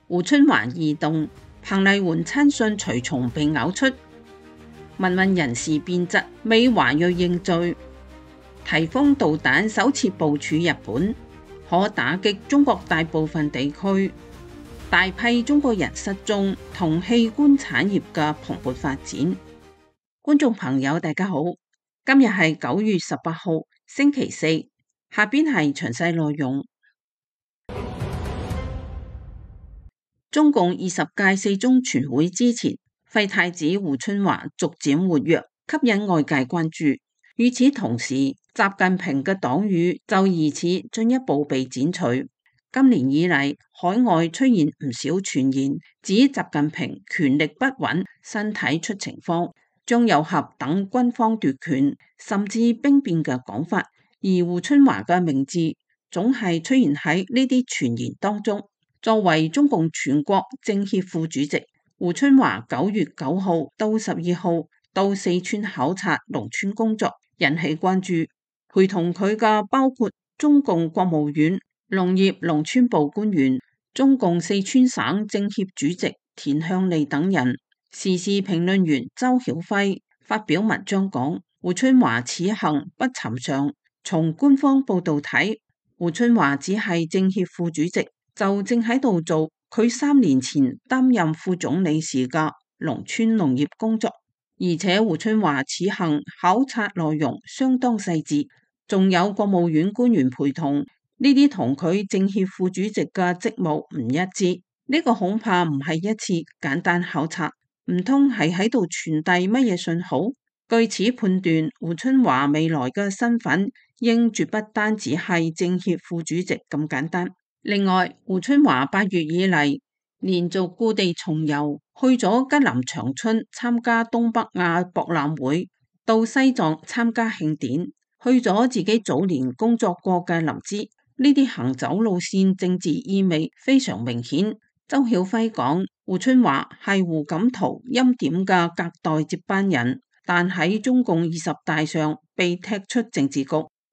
胡春華異動，彭麗媛親信隨從被咬出，民運人士變質，美華裔認罪，提豐導彈首次部署日本，可打擊中國大部分地區，大批中國人失蹤同器官產業嘅蓬勃發展。觀眾朋友大家好，今日係9月18號星期四，下邊係詳細內容。中共20屆四中全會之前，廢太子胡春華逐漸活躍，吸引外界關注。與此同時，習近平嘅黨羽就疑似進一步被剪除。今年以嚟，海外出現唔少傳言，指習近平權力不穩，身體出情況，將有合等軍方奪權，甚至兵變嘅講法。而胡春華嘅名字總係出現喺呢啲傳言當中。作為中共全國政協副主席，胡春華9月9號到12號到四川考察農村工作，引起關注。陪同佢嘅包括中共國務院農業農村部官員、中共四川省政協主席田向利等人。時事評論員周曉輝發表文章講，胡春華此行不尋常。從官方報道睇，胡春華只係政協副主席，就正喺度做佢3年前擔任副總理時嘅農村農業工作。而且胡春華此行考察內容相當細緻，仲有國務院官員陪同，呢啲同佢政協副主席嘅職務唔一致。呢個恐怕唔係一次簡單考察，唔通係喺度傳遞乜嘢信號？據此判斷，胡春華未來嘅身份應絕不單只係政協副主席咁簡單。另外，胡春華8月以嚟連續故地重遊，去咗吉林長春參加東北亞博覽會，到西藏參加慶典，去咗自己早年工作過嘅林芝。呢啲行走路線政治意味非常明顯。周曉輝講，胡春華係胡錦濤欽點嘅隔代接班人，但喺中共20大上被踢出政治局，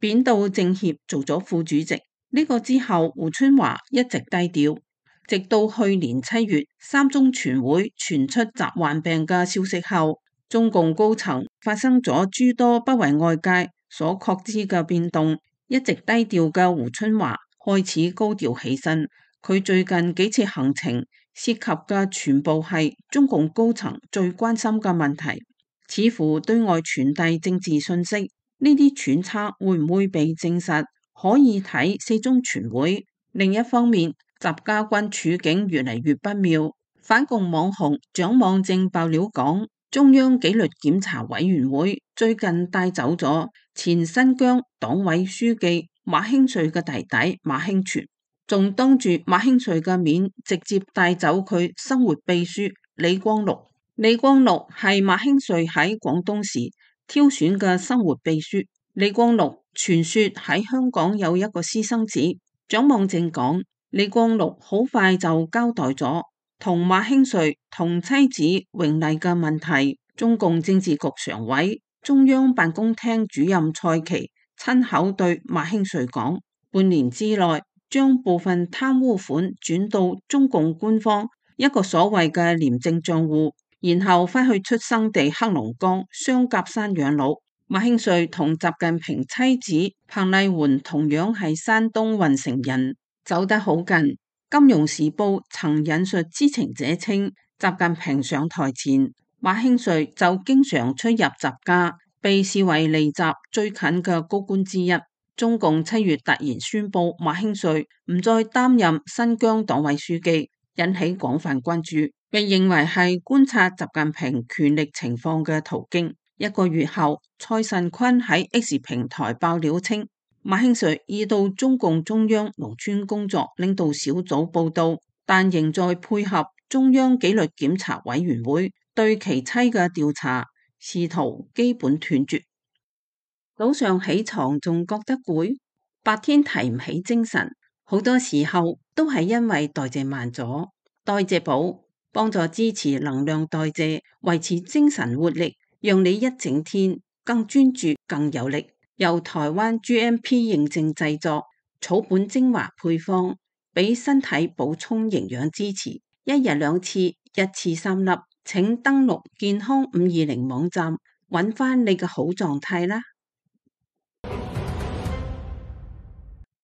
貶到政協做咗副主席。呢個之後，胡春華一直低調，直到去年7月三中全會傳出習患病嘅消息後，中共高層發生咗諸多不為外界所確知嘅變動。一直低調嘅胡春華開始高調起身，佢最近幾次行程涉及嘅全部係中共高層最關心嘅問題，似乎對外傳遞政治信息。呢啲揣測會唔會被證實？可以睇四中全會。另一方面，習家軍處境越嚟越不妙。反共網紅蔣望正爆料講，中央紀律檢查委員會最近帶走咗前新疆黨委書記馬興瑞嘅弟弟馬興全，仲當住馬興瑞嘅面直接帶走佢生活秘書李光祿。李光祿係馬興瑞喺廣東時挑選嘅生活秘書。李光祿傳說喺香港有一個私生子。蔣望正講，李光祿好快就交代咗同馬興瑞同妻子榮麗嘅問題。中共政治局常委、中央辦公廳主任蔡奇親口對馬興瑞講，半年之內將部分貪污款轉到中共官方一個所謂嘅廉政賬戶，然後返去出生地黑龍江雙甲山養老。馬興瑞同習近平妻子彭麗媛同樣係山東運城人，走得好近。金融時報曾引述知情者稱，習近平上台前，馬興瑞就經常出入習家，被視為離習最近嘅高官之一。中共7月突然宣布馬興瑞唔再擔任新疆黨委書記，引起廣泛關注，被認為係觀察習近平權力情況嘅途徑。1個月後，蔡慎坤喺 X 平台爆料稱，馬興瑞已到中共中央農村工作領導小組報到，但仍在配合中央紀律檢查委員會對其妻嘅調查，試圖基本斷絕。早上起床仲覺得攰，白天提唔起精神，好多時候都係因為代謝慢咗。代謝寶幫助支持能量代謝，維持精神活力，讓你一整天更專注、更有力。由台灣 GMP 認證製作，草本精華配方，俾身體補充營養支持，一日2次，一次3粒。請登錄健康520網站，揾返你嘅好狀態啦。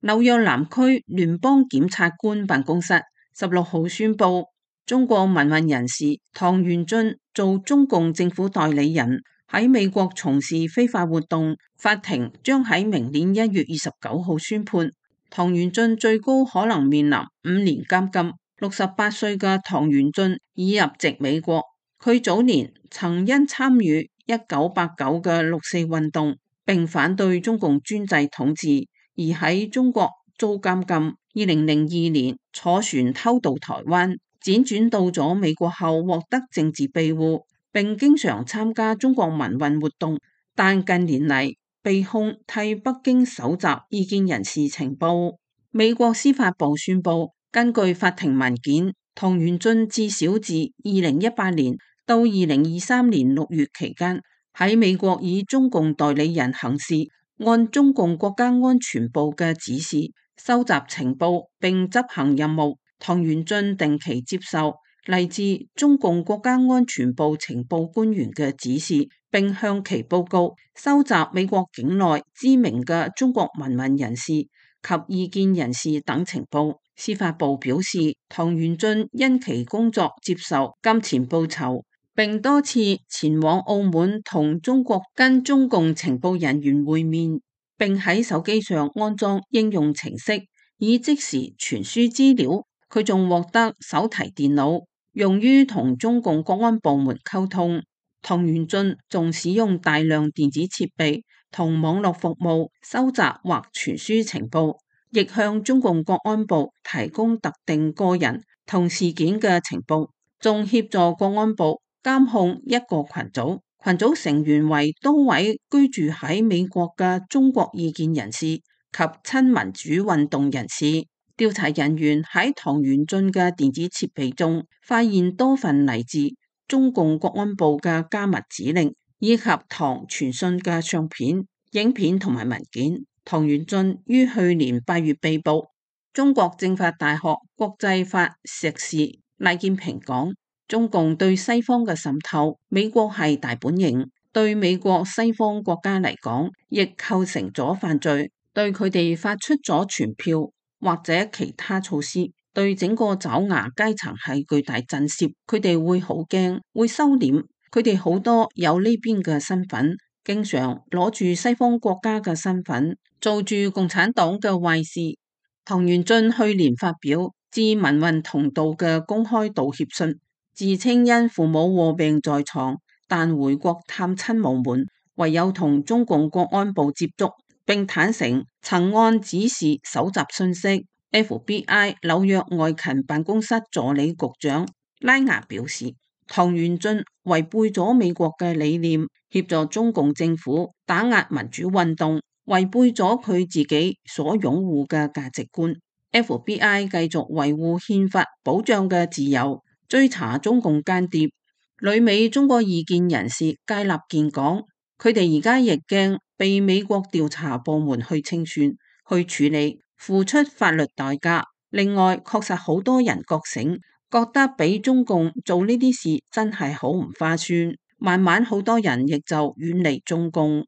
紐約南區聯邦檢察官辦公室16號宣布，中國民運人士唐元俊做中共政府代理人，喺美國從事非法活動，法庭將喺明年1月29號宣判，唐元俊最高可能面臨5年監禁。68歲嘅唐元俊已入籍美國，佢早年曾因參與1989嘅六四運動，並反對中共專制統治，而喺中國遭監禁。2002年坐船偷渡台灣，輾轉到咗美國後獲得政治庇護，並經常參加中國民運活動，但近年嚟被控替北京搜集異見人士情報。美國司法部宣布，根據法庭文件，唐元俊至少自2018年到2023年6月期間，喺美國以中共代理人行事，按中共國家安全部嘅指示收集情報並執行任務。唐元俊定期接受嚟自中共國家安全部情報官員嘅指示，並向其報告收集美國境內知名嘅中國民運人士及異見人士等情報。司法部表示，唐元俊因其工作接受金錢報酬，並多次前往澳門同中國跟中共情報人員會面，並喺手機上安裝應用程式，以即時傳輸資料。佢仲獲得手提電腦，用於同中共國安部門溝通。唐元俊仲使用大量電子設備同網絡服務收集或傳輸情報，亦向中共國安部提供特定個人同事件嘅情報，仲協助國安部監控一個群組，群組成員為多位居住喺美國嘅中國異見人士及親民主運動人士。調查人員喺唐元俊嘅電子設備中發現多份嚟自中共國安部嘅加密指令，以及唐傳訊嘅相片、影片同埋文件。唐元俊於去年8月被捕。中國政法大學國際法碩士賴建平講，中共對西方嘅滲透，美國係大本營，對美國西方國家嚟講，亦構成咗犯罪，對佢哋發出咗傳票或者其他措施，對整個爪牙階層係巨大震懾，佢哋會好驚，會收斂，佢哋好多有呢邊嘅身份，經常攞住西方國家嘅身份，做住共產黨嘅壞事。唐元俊去年發表致民運同道嘅公開道歉信，自稱因父母臥病在床，但回國探親無門，唯有同中共國安部接觸，並坦承曾按指示搜集信息。FBI 紐約外勤辦公室助理局長拉雅表示，唐元俊違背咗美國嘅理念，協助中共政府打壓民主運動，違背咗佢自己所擁護嘅價值觀。FBI 繼續維護憲法保障嘅自由，追查中共間諜。旅美中國異見人士佳立健講，佢哋而家亦驚被美國調查部門去清算、去處理，付出法律代價。另外，確實好多人覺醒，覺得俾中共做呢啲事真係好唔划算。慢慢好多人亦就遠離中共。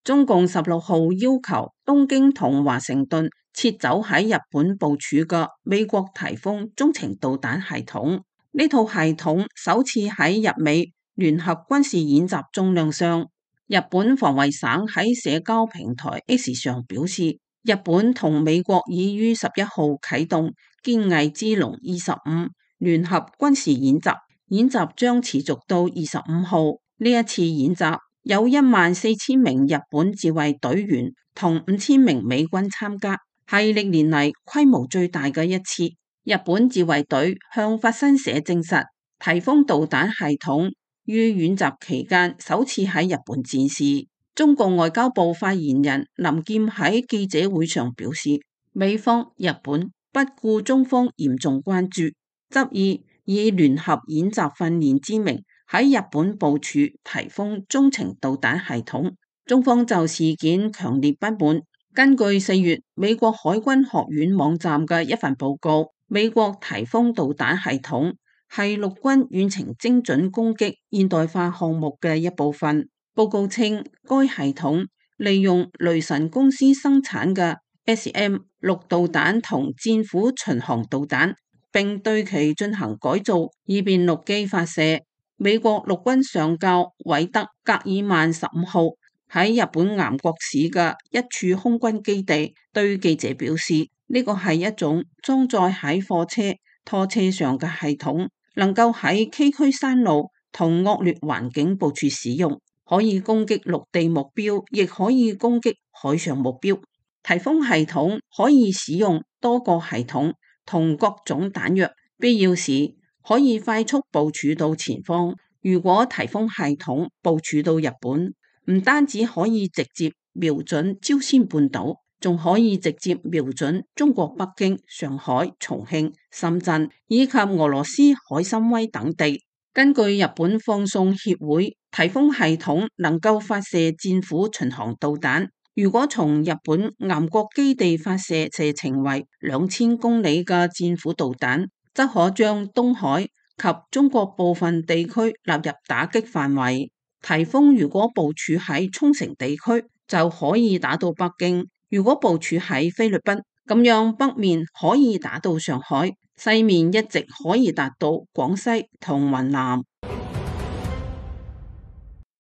中共16號要求東京同華盛頓撤走喺日本部署嘅美國颱風中程導彈系統。呢套系統首次喺日美聯合軍事演習中亮相。日本防衛省喺社交平台 X 上表示，日本同美國已於11號啟動堅毅之龍25聯合軍事演習，演習將持續到25號。呢一次演習有14,000名日本自衛隊員同5000名美軍參加，係歷年嚟規模最大嘅一次。日本自衛隊向法新社證實，颱風導彈系統於演習期間首次喺日本展示。中共外交部發言人林劍喺記者會上表示，美方、日本不顧中方嚴重關注，執意以聯合演習訓練之名喺日本部署颱風中程導彈系統。中方就事件強烈不滿，根據4月美國海軍學院網站嘅一份報告，美國颱風導彈系統係陸軍遠程精準攻擊現代化項目嘅一部分。報告稱，該系統利用雷神公司生產嘅 SM-6導彈同戰斧巡航導彈，並對其進行改造，以便陸基發射。美國陸軍上校韋德·格爾曼15號喺日本岩國市嘅一處空軍基地對記者表示，呢個係一種裝載喺貨車拖車上嘅系統，能夠喺崎嶇山路同惡劣環境部署使用，可以攻擊陸地目標，亦可以攻擊海上目標。颱風系統可以使用多個系統同各種彈藥，必要時可以快速部署到前方。如果颱風系統部署到日本，唔單止可以直接瞄準朝鮮半島，仲可以直接瞄準中國北京、上海、重慶、深圳以及俄羅斯海參崴等地。根據日本放送協會，颱風系統能夠發射戰斧巡航導彈。如果從日本岩國基地發射射程為2000公里嘅戰斧導彈，則可將東海及中國部分地區納入打擊範圍。颱風如果部署喺沖繩地區，就可以打到北京；如果部署喺菲律賓，咁樣北面可以打到上海，西面一直可以達到廣西同雲南。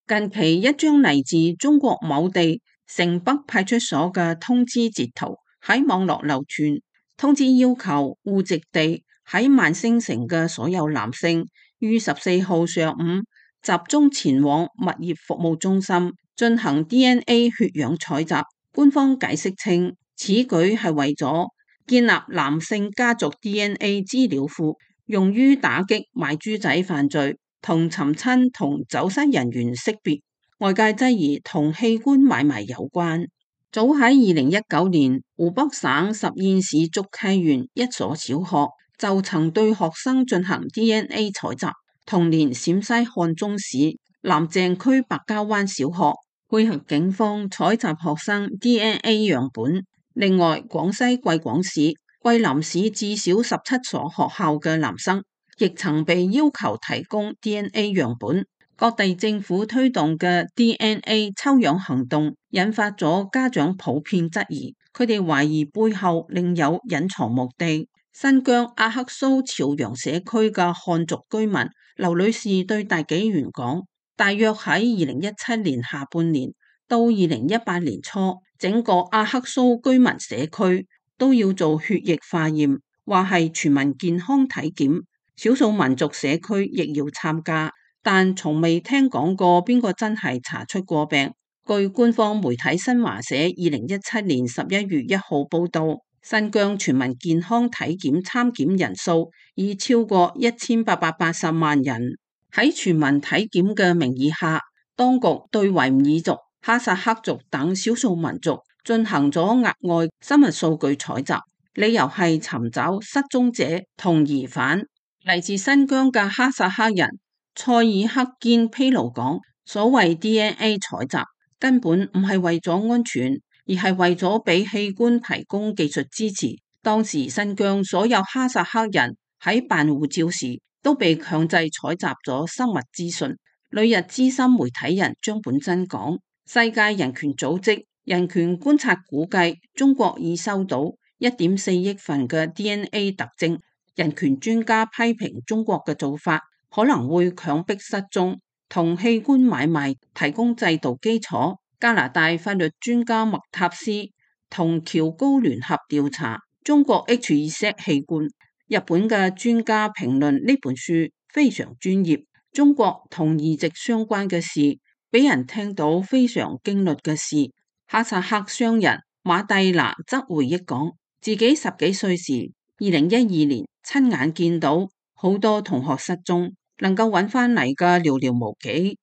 近期一張嚟自中國某地城北派出所嘅通知截圖喺網絡流傳，通知要求戶籍地喺萬星城嘅所有男性於14號上午集中前往物業服務中心進行 DNA 血樣採集。官方解釋稱，此舉係為咗建立男性家族 DNA 資料庫，用於打擊賣豬仔犯罪同尋親同走失人員識別。外界質疑同器官買賣有關。早喺2019年，湖北省十堰市竹溪縣一所小學就曾對學生進行 DNA 採集。同年，陝西漢中市南鄭區白蕉灣小學配合警方採集學生 DNA 樣本。另外，廣西貴廣市、桂林市至少17所學校嘅男生亦曾被要求提供 DNA 樣本。各地政府推動嘅 DNA 抽樣行動引發咗家長普遍質疑，佢哋懷疑背後另有隱藏目的。新疆阿克蘇朝陽社區嘅漢族居民劉女士對大紀元講，大約喺2017年下半年到2018年初，整個阿克蘇居民社區都要做血液化驗，話係全民健康體檢，少數民族社區亦要參加，但從未聽講過邊個真係查出過病。據官方媒體新華社2017年11月1號報道，新疆全民健康體檢參檢人數已超過1880萬人。喺全民體檢嘅名義下，當局對維吾爾族、哈薩克族等少數民族進行咗額外生物數據採集，理由係尋找失蹤者同疑犯。嚟自新疆嘅哈薩克人塞爾克堅披露講，所謂 DNA 採集根本唔係為咗安全，而係為咗俾器官提供技術支持。當時新疆所有哈薩克人喺辦護照時都被強制採集咗生物資訊。旅日資深媒體人張本真講，世界人權組織人權觀察估計，中國已收到1.4億份嘅 DNA 特徵。人權專家批評中國嘅做法可能會強迫失蹤同器官買賣提供制度基礎。加拿大法律專家麥塔斯同喬高聯合調查中國 H2Z 器官。日本嘅專家評論呢本書非常專業。中國同移植相關嘅事，俾人聽到非常驚慄嘅事。哈薩克商人馬蒂娜則回憶講，自己10幾歲時，2012年親眼見到好多同學失蹤，能夠揾翻嚟嘅寥寥無幾。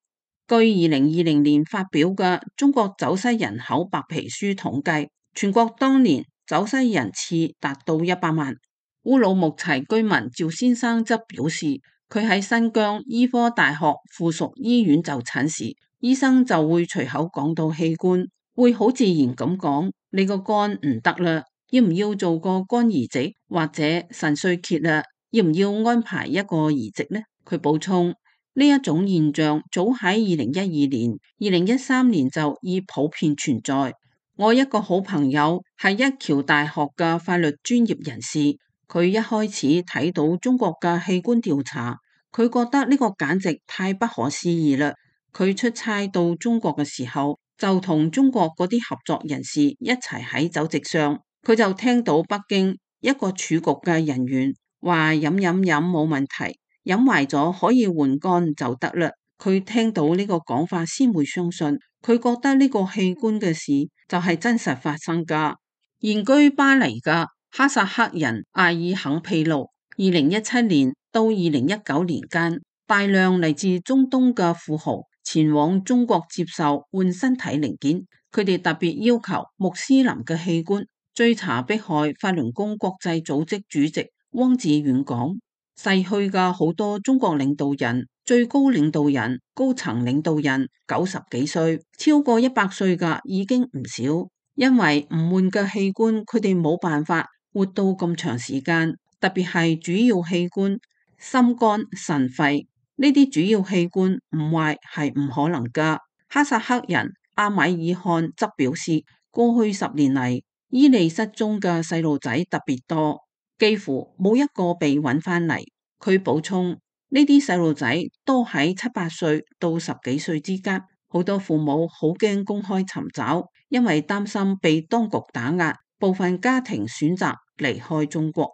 據2020年發表嘅中國走失人口白皮書統計，全國當年走失人次達到100萬。烏魯木齊居民趙先生則表示，佢喺新疆醫科大學附屬醫院就診時，醫生就會隨口講到器官，會好自然咁講你個肝唔得啦，要唔要做個肝移植或者腎衰竭啦？要唔要安排一個移植呢？佢補充，呢一種現象早喺2012年、2013年就已普遍存在。我一個好朋友係一橋大學嘅法律專業人士，佢一開始睇到中國嘅器官調查，佢覺得呢個簡直太不可思議啦。佢出差到中國嘅時候，就同中國嗰啲合作人士一齊喺酒席上，佢就聽到北京一個儲局嘅人員話飲冇問題，飲壞咗可以換肝就得啦。佢聽到呢個講法先會相信，佢覺得呢個器官嘅事就係真實發生噶。現居巴黎嘅哈薩克人阿爾肯披露，2017年到2019年間，大量嚟自中東嘅富豪前往中國接受換身體零件，佢哋特別要求穆斯林嘅器官。追查迫害法輪功國際組織主席汪志遠講，逝去嘅好多中國領導人、最高領導人、高層領導人90幾歲，超過100歲嘅已經唔少，因為唔換嘅器官，佢哋冇辦法活到咁長時間，特別係主要器官心肝腎肺。呢啲主要器官唔壞係唔可能噶。哈薩克人阿米爾汗則表示，過去10年嚟，伊利失蹤嘅細路仔特別多，幾乎冇一個被揾返嚟。佢補充，呢啲細路仔都喺7、8歲到10幾歲之間，好多父母好驚公開尋找，因為擔心被當局打壓，部分家庭選擇離開中國。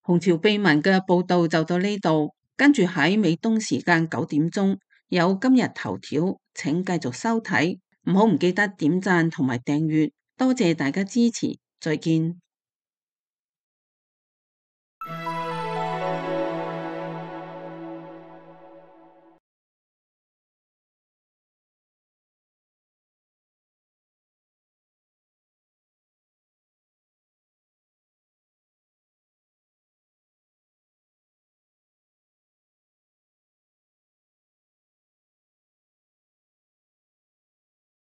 紅潮秘聞嘅報道就到呢度。跟住喺美東時間9點鐘有今日頭條，請繼續收睇，唔記得點讚同埋訂閱，多謝大家支持，再見。